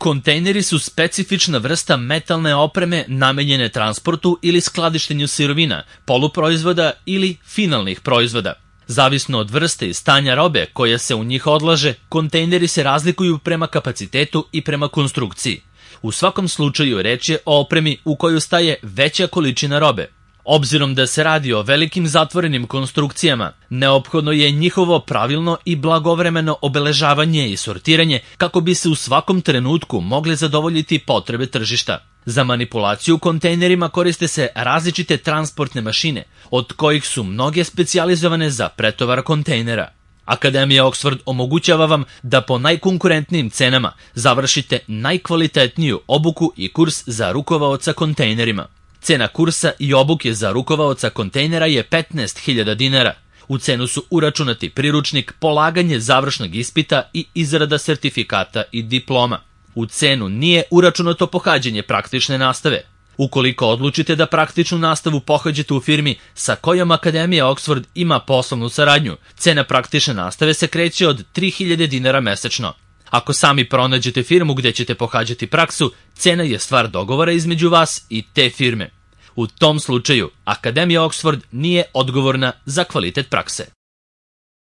Kontejneri su specifična vrsta metalne opreme namenjene transportu ili skladištenju sirovina, poluproizvoda ili finalnih proizvoda. Zavisno od vrste i stanja robe koja se u njih odlaže, kontejneri se razlikuju prema kapacitetu i prema konstrukciji. U svakom slučaju reč je o opremi u koju staje veća količina robe. Obzirom da se radi o velikim zatvorenim konstrukcijama, neophodno je njihovo pravilno i blagovremeno obeležavanje i sortiranje kako bi se u svakom trenutku mogle zadovoljiti potrebe tržišta. Za manipulaciju kontejnerima koriste se različite transportne mašine, od kojih su mnoge specijalizovane za pretovar kontejnera. Akademija Oxford omogućava vam da po najkonkurentnijim cenama završite najkvalitetniju obuku i kurs za rukovaoca kontejnerima. Cena kursa i obuke za rukovaoca kontejnera je 15.000 dinara. U cenu su uračunati priručnik, polaganje završnog ispita i izrada sertifikata i diploma. U cenu nije uračunato pohađanje praktične nastave. Ukoliko odlučite da praktičnu nastavu pohađate u firmi sa kojom Akademija Oxford ima poslovnu saradnju, cena praktične nastave se kreće od 3.000 dinara mesečno. Ako sami pronađete firmu gde ćete pohađati praksu, cena je stvar dogovora između vas i te firme. U tom slučaju, Akademija Oxford nije odgovorna za kvalitet prakse.